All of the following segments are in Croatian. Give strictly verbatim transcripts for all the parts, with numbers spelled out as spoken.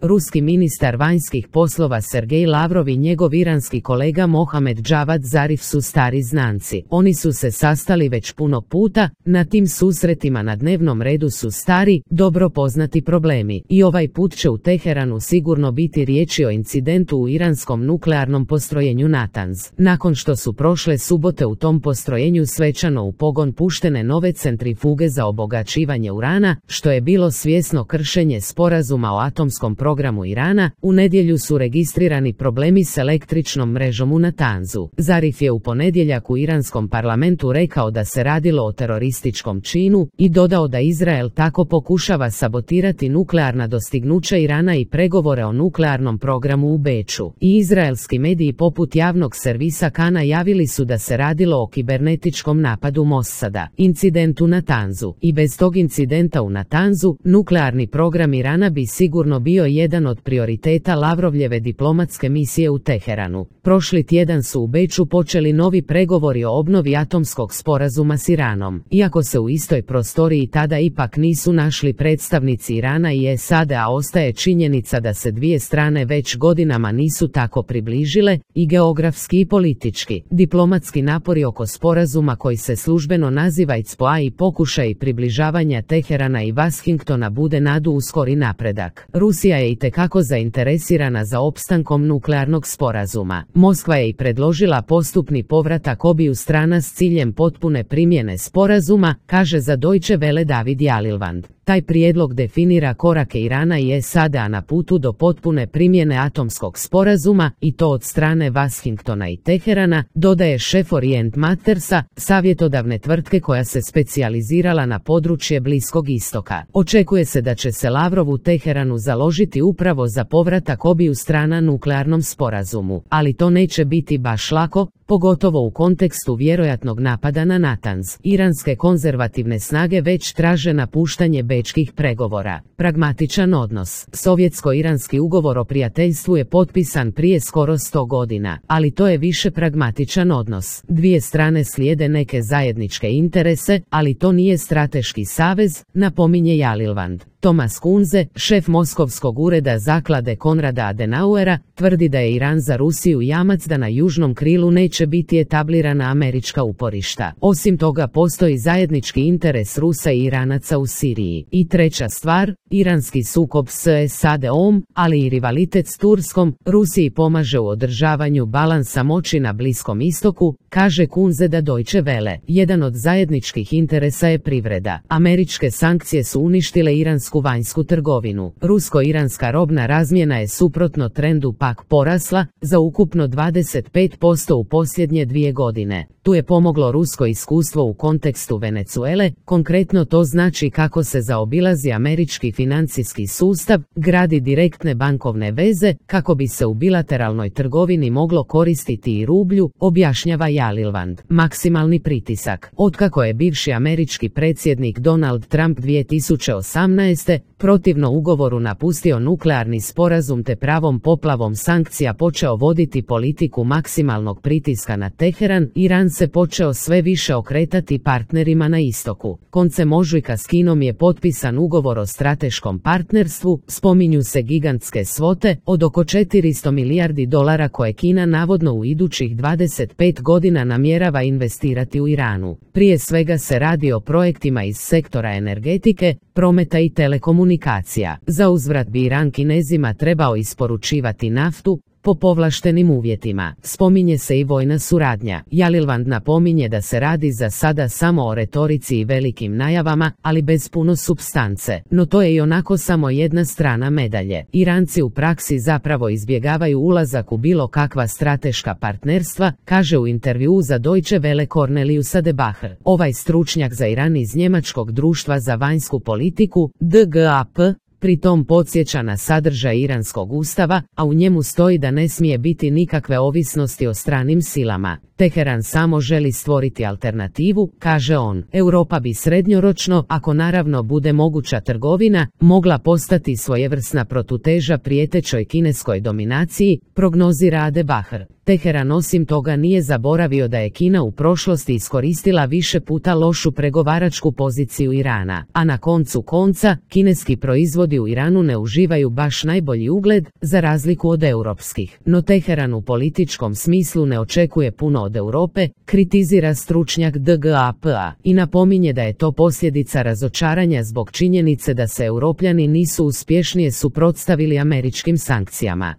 ruski ministar vanjskih poslova Sergej Lavrov i njegov iranski kolega Mohamed Javad Zarif su stari znanci. Oni su se sastali već puno puta, na tim susretima na dnevnom redu su stari, dobro poznati problemi. I ovaj put će u Teheranu sigurno biti riječi o incidentu u iranskom nuklearnom postrojenju Natanz. Nakon što su prošle subote u tom postrojenju svečano u pogon puštene nove centrifuge za obogaćivanje urana, što je bilo svjesno kršenje sporazuma o atomskom programu Irana, u nedjelju su registrirani problemi s električnom mrežom u Natanzu. Zarif je u ponedjeljak u iranskom parlamentu rekao da se radilo o terorističkom činu i dodao da Izrael tako pokušava sabotirati nuklearna dostignuća Irana i pregovore o nuklearnom programu u Beču. I izraelski mediji poput javnog servisa Kana javili su da se radilo o kibernetičkom napadu Mossada, incidentu u Natanzu. I bez tog incidenta u Natanzu, nuklearni program Irana bi sigurno bio jedan od prioriteta Lavrovljeve diplomatske misije u Teheranu. Prošli tjedan su u Beču počeli novi pregovori o obnovi atomskog sporazuma s Iranom. Iako se u istoj prostoriji tada ipak nisu našli predstavnici Irana i S A D-a, ostaje činjenica da se dvije strane već godinama nisu tako približile, i geografski i politički. Diplomatski napori oko sporazuma koji se službeno naziva I C P O A i pokušaj približavanja Teherana i Washingtona bude nadu u skori napredak. Rusija je itekako zainteresirana za opstankom nuklearnog sporazuma. Moskva je i predložila postupni povratak obiju strana s ciljem potpune primjene sporazuma, kaže za Deutsche Welle David Jalilvand. Taj prijedlog definira korake Irana i S A D-a na putu do potpune primjene atomskog sporazuma, i to od strane Washingtona i Teherana, dodaje šef Orient Mattersa, savjetodavne tvrtke koja se specijalizirala na područje Bliskog istoka. Očekuje se da će se Lavrov u Teheranu založiti upravo za povratak obiju strana nuklearnom sporazumu, ali to neće biti baš lako, pogotovo u kontekstu vjerojatnog napada na Natanz. Iranske konzervativne snage već traže napuštanje bečkih pregovora. Pragmatičan odnos. Sovjetsko-iranski ugovor o prijateljstvu je potpisan prije skoro sto godina, ali to je više pragmatičan odnos. Dvije strane slijede neke zajedničke interese, ali to nije strateški savez, napominje Jalilvand. Thomas Kunze, šef Moskovskog ureda zaklade Konrada Adenauera, tvrdi da je Iran za Rusiju jamac da na južnom krilu neće biti etablirana američka uporišta. Osim toga postoji zajednički interes Rusa i Iranaca u Siriji. I treća stvar, iranski sukob s S A D-om, ali i rivalitet s Turskom, Rusiji pomaže u održavanju balansa moći na Bliskom istoku, kaže Kunze da Deutsche Welle. Jedan od zajedničkih interesa je privreda. Američke sankcije su uništile iransku vanjsku trgovinu. Rusko-iranska robna razmjena je suprotno trendu pak porasla, za ukupno dvadeset pet posto u posljednje dvije godine. Tu je pomoglo rusko iskustvo u kontekstu Venezuele, konkretno to znači kako se zaobilazi američki financijski sustav, gradi direktne bankovne veze, kako bi se u bilateralnoj trgovini moglo koristiti i rublju, objašnjava Jalilvand. Maksimalni pritisak. Otkako je bivši američki predsjednik Donald Trump dvije tisuće osamnaeste. protivno ugovoru napustio nuklearni sporazum te pravom poplavom sankcija počeo voditi politiku maksimalnog pritiska na Teheran, Iran se počeo sve više okretati partnerima na istoku. Koncem ožujka s Kinom je potpisan ugovor o strateškom partnerstvu, spominju se gigantske svote od oko četiristo milijardi dolara koje Kina navodno u idućih dvadeset pet godina namjerava investirati u Iranu. Prije svega se radi o projektima iz sektora energetike, prometa i telekomunikacija. Za uzvrat bi Iran Kinezima trebao isporučivati naftu po povlaštenim uvjetima. Spominje se i vojna suradnja. Jalilvand napominje da se radi za sada samo o retorici i velikim najavama, ali bez puno supstance. No to je i onako samo jedna strana medalje. Iranci u praksi zapravo izbjegavaju ulazak u bilo kakva strateška partnerstva, kaže u intervjuu za Deutsche Welle Cornelius Adebacher. Ovaj stručnjak za Iran iz Njemačkog društva za vanjsku politiku, D G A P, pri tom podsjeća na sadržaj iranskog ustava, a u njemu stoji da ne smije biti nikakve ovisnosti o stranim silama. Teheran samo želi stvoriti alternativu, kaže on. Europa bi srednjoročno, ako naravno bude moguća trgovina, mogla postati svojevrsna protuteža prijetećoj kineskoj dominaciji, prognozira Adebacher. Teheran osim toga nije zaboravio da je Kina u prošlosti iskoristila više puta lošu pregovaračku poziciju Irana, a na koncu konca, kineski proizvodi Kurdi u Iranu ne uživaju baš najbolji ugled, za razliku od europskih, no Teheran u političkom smislu ne očekuje puno od Europe, kritizira stručnjak D G A P-a i napominje da je to posljedica razočaranja zbog činjenice da se Europljani nisu uspješnije suprotstavili američkim sankcijama.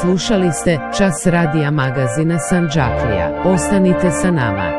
Slušali ste Čas radija magazina Sandžaklija. Ostanite sa nama.